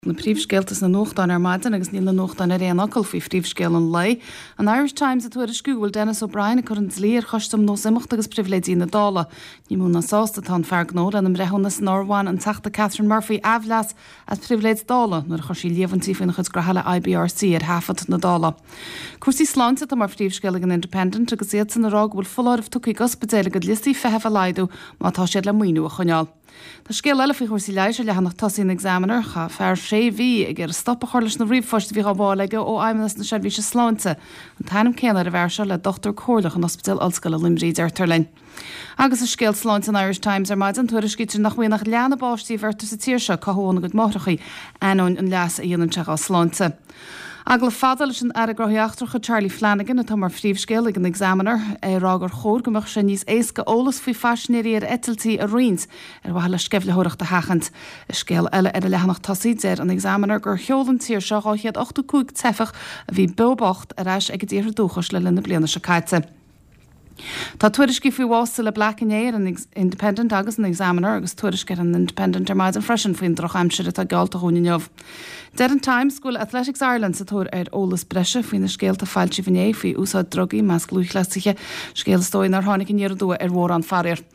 Na príomhscéalta sna nuachtáin ar maidin agus níl na nuachtáin ar aon fhocal faoi phríomhscéal an lae, An Irish Times ag tuairisciú go bhfuil Denis O'Brien ag cur an dlí ar Choiste um Nós Imeachta agus Pribhléidí na Dála. Ní mó ná sásta atá an fear gnó lena mbreithiúnas nár bhain an Teachta Catherine Murphy aimhleas as pribhléid Dála nuair a chuir sí líomhaintí faoina chuid graithe le IBRC ar thaifead na Dála. Cúrsaí sláinte atá mar phríomhscéal ag an Independent agus iadsan ag rá go bhfuil foláireamh tugtha ag ospidéil a gcuid liostaí feithimh a laghdú má tá siad le maoiniú a choinneáil. Tá scéal eile faoi chúrsaí leighis ar leathanach tosaigh an Examiner. Chaith fear sé mhí ag iarraidh stop a chur leis na ríomhphoist a bhí á bhfáil aige ó Fheidhmeannas na Seirbhíse Sláinte. An t-ainm céanna ar an bhfear seo le dochtúir comhairleach in Ospidéal Ollscoile Luimnigh, deirtear linn. Agus i scéal sláinte an Irish Times ar maidin, tuairiscítear nach mbíonn ach leath na bpáistí a bheirtear sa tír seo cothú óna gcuid máithreacha, ainneoin an leas a dhéanann sé dhá sláinte. Agallamh fada leis an Aire Gnóthaí Eachtracha Charlie Flanagan atá mar phríomhscéal ag an Examiner, é ag rá gur chóir go mbeadh sé níos éasca eolas faoi phaisinéirí ar eitiltí a roinnt ar mhaithe le sceimhlitheoireacht a sheachaint. I scéal eile ar an leathanach tosaigh, deir an Examiner gur sheol an tír seo 285 teifeach a bhí beo bocht ar ais ag a dtíortha dúchais le linn na bliana seo caite. Tá tuairiscí faoi bhás Cilla Black inné ar an Independent agus an Examiner agus tuairisc ar an Independent ar maidin freisin faoin drochaimsir atá geallta dhúinn inniu. Deir an Times go bhfuil Athletics Ireland sa tóir ar eolas breise faoi na scéalta a foilsíodh inné faoi úsáid drugaí i measc lúthchleasaithe, scéal is dóigh nár tháinig aniar aduaidh ar mhórán faraor.